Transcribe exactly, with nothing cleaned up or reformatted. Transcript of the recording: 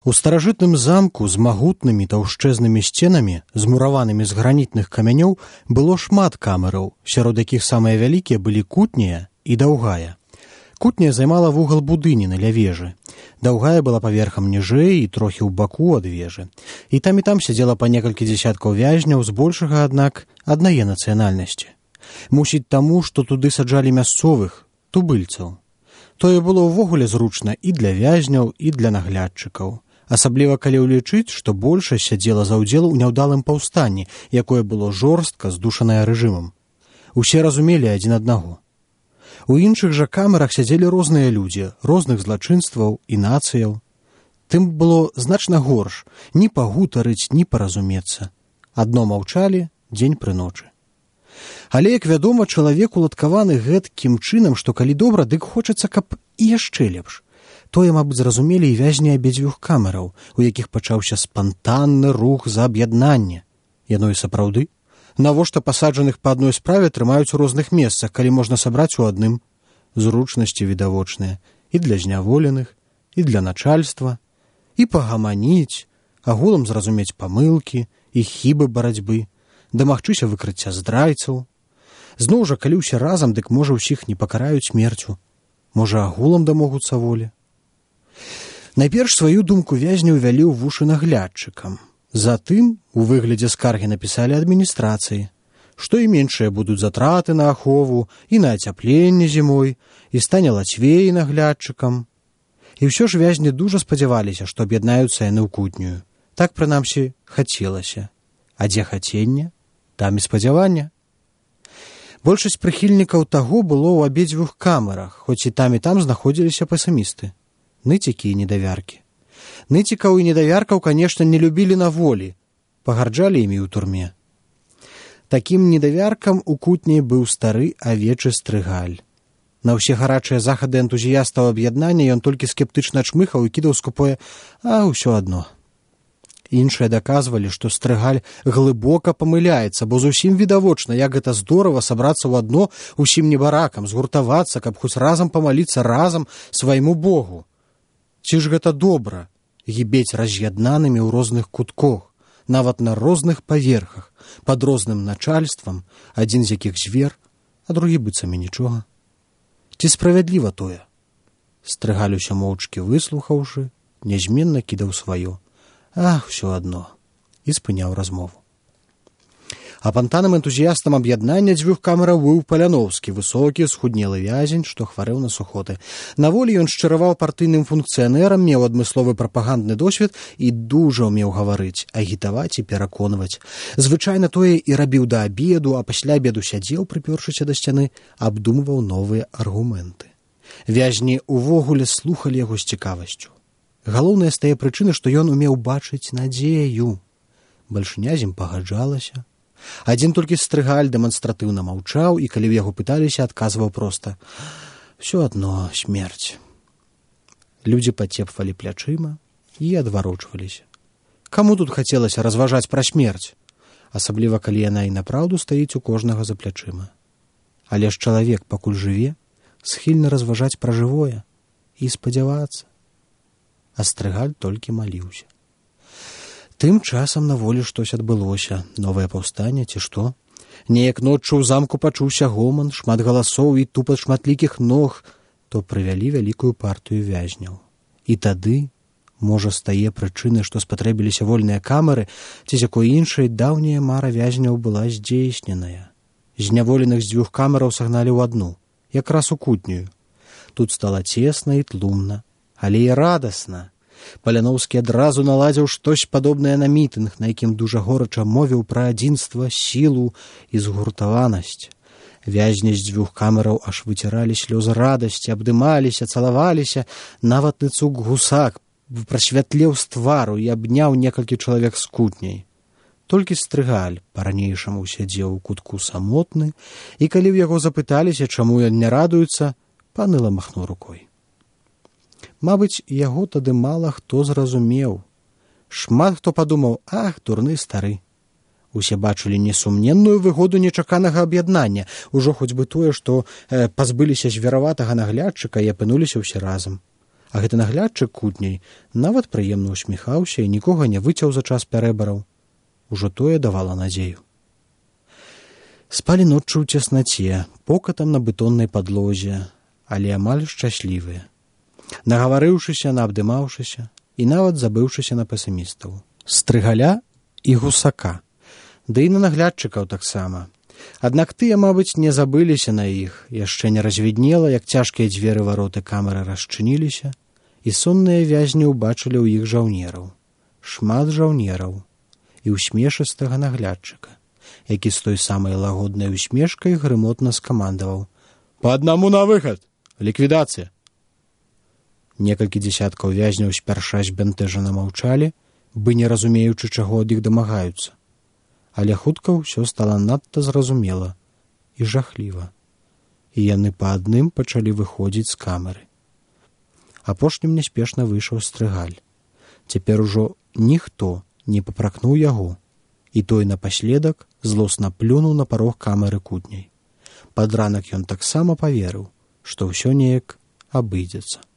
У старажытным замку з магутнымі таўшчэзнымі сценамі, змураванымі з гранітных камянёў, было шмат камераў, сярод якіх самыя вялікія былі кутняя і даўгая. Кутняя займала вугал будыніны ля вежы. Даўгая была паверхам ніжэй і трохі ў баку ад вежы. І там і там сядзела па некалькі дзясяткаў вязняў, збольшага, аднак, аднае нацыянальнасці. Мусіць таму, што туды саджалі мясцовых, тубыльцаў. Тое было ўвогуле зручна і для вязняў, і для наглядчыкаў. Асабліва калі ўлічыць, што большасць сядзела за ўдзел у няўдалым паўстанні, якое было жорстка здушанае рэжымам. Усе разумелі адзін аднаго. У іншых жа камерах сядзелі розныя людзі, розных злачынстваў і нацыяў. Тым было значна горш ні пагутарыць, ні паразумецца. Адно маўчалі дзень пры ночы. Але, як вядома, чалавек уладкаваны гэткім чынам, што калі добра, дык хочацца, каб і яшчэ лепш. Тое, мабыць, зразумелі і вязні абедзвюх камераў, у якіх пачаўся спантанны рух за аб'яднанне. Яно і сапраўды. Навошта пасаджаных па адной справе трымаюць у розных месцах, калі можна сабраць у адным? Зручнасці відавочныя і для зняволеных, і для начальства, і пагаманіць, агулам зразумець памылкі і хібы барацьбы, дамагчыся выкрыцця здрайцаў. Зноў жа, калі ўсе разам, дык можа ўсіх не пакараюць смерцю. Можа, агулам дамогуцца волі. Найперш сваю думку вязняў вялі ў вушы наглядчыкам. Затым у выглядзе скаргі напісалі адміністрацыі, што і меншыя будуць затраты на ахову і на ацяпленне зімой, і стане лацвей наглядчыкам. І ўсё ж вязні дужа спадзяваліся, што аб'яднаюцца яны ў кутнюю. Так, прынамсі, хацелася. А дзе хаценне, там і спадзявання. Большасць прыхільнікаў таго было ў абедзвюх камерах, хоць і там і там знаходзіліся песімісты. Ныцікі і недавяркі. Ныцікаў і недавяркаў, канешне, не любілі на волі, пагарджалі імі ў турме. Такім недавяркам у кутні быў стары авечы Стрыгаль. На ўсе гарачыя захады энтузіястаў аб'яднання ён толькі скептычна чмыхаў і кідаў скупое «а ўсё адно». Іншыя даказвалі, што Стрыгаль глыбока памыляецца, бо зусім відавочна, як гэта здорава сабрацца ў адно усім небаракам, згуртавацца, каб хоць разам памаліцца разам свайму Богу. Ці ж гэта добра гібець раз'яднанымі ў розных кутках, нават на розных паверхах, пад розным начальствам, адзін з якіх звер, а другі быццам і нічога. Ці справядліва тое? Стрыгаль усё моўчкі выслухаўшы, нязменна кідаў сваё. Ах, усё адно, і спыняў размову. Апантаным энтузіястам аб'яднання дзвюх камераў быў Паляноўскі, высокі, схуднелы вязень, што хварэў на сухоты. На волі ён шчыраваў партыйным функцыянерам, меў адмысловы прапагандны досвед і дужа ўмеў гаварыць, агітаваць і пераконваць. Звычайна тое і рабіў да абеду, а пасля абеду сядзеў, прыпёршыся да сцяны, абдумваў новыя аргументы. Вязні ўвогуле слухалі яго з цікавасцю. Галоўная з тае прычыны, што ён умеў бачыць надзею. Бальшыня з ім пагаджалася. Адзін толькі Стрыгаль дэманстратыўна маўчаў, і калі ў яго пыталіся, адказваў проста «всё адно смерць». Людзі пацепвалі плячыма і адварочваліся. Каму тут хацелася разважаць пра смерць? Асабліва, калі яна і напраўду стаіць у кожнага за плячыма. Але ж чалавек, пакуль жыве, схільны разважаць пра жывое і спадзявацца. А Стрыгаль толькі маліўся. Тым часам на волі штось адбылося, новае паўстанне ці што. Неяк ноччу ў замку пачуўся гоман, шмат галасоў і тупат шматлікіх ног, то прывялі вялікую партыю вязняў. І тады, можа, з тае прычыны, што спатрэбіліся вольныя камеры, ці з якой іншай даўняя мара вязняў была здзейсненая. Зняволеных з дзвюх камераў сагналі ў адну, якраз у кутнюю. Тут стала цесна і тлумна, але і радасна. Паляноўскі адразу наладзіў штось падобнае на мітынг, на якім дужа горача мовіў пра адзінства, сілу і згуртаванасць. Вязні з дзвюх камераў аж выціралі слёзы радасці, абдымаліся, цалаваліся. Нават Ныцук Гусак прасвятлеў з твару і абняў некалькі чалавек з кутняй. Толькі Стрыгаль па-ранейшаму сядзеў у кутку самотны, і калі ў яго запыталіся, чаму ён не радуецца, паныла махнуў рукой. Мабыць, яго тады мала хто зразумеў. Шмат хто падумаў, ах, дурны стары. Усе бачылі несумненную выгоду нечаканага аб'яднання, ужо хоць бы тое, што э, пазбыліся звераватага наглядчыка і апынуліся ўсе разам. А гэты наглядчык кутняй нават прыемна усміхаўся і нікога не выцяў за час пярэбараў. Ужо тое давала надзею. Спалі ноччу ў цеснаце, покатам на бетоннай падлозе, але амаль шчаслівыя. Нагаварыўшыся, наабдымаўшыся і нават забыўшыся на песімістаў. Стрыгаля і гусака, ды і на наглядчыкаў таксама. Аднак тыя, мабыць, не забыліся на іх, яшчэ не развіднела, як цяжкія дзверы вароты камеры расчыніліся, і сонныя вязні ўбачылі ў іх жаўнераў. Шмат жаўнераў і усмешыстага наглядчыка, які з той самай лагоднай усмешкай грымотна скамандаваў: «Па аднаму на выхад! Ліквідацыя!» Некалькі дзесяткаў вязняў спярша збянтэжана маўчалі, бы не разумеючы, чаго ад іх дамагаюцца. Але хутка ўсё стала надта зразумела і жахліва, і яны па адным пачалі выходзіць з камеры. Апошнім няспешна выйшаў Стрыгаль. Цяпер ужо ніхто не папракнуў яго, і той напаследак злосна плюнуў на парог камеры кутняй. Пад ранак ён таксама паверыў, што ўсё неяк абыдзецца.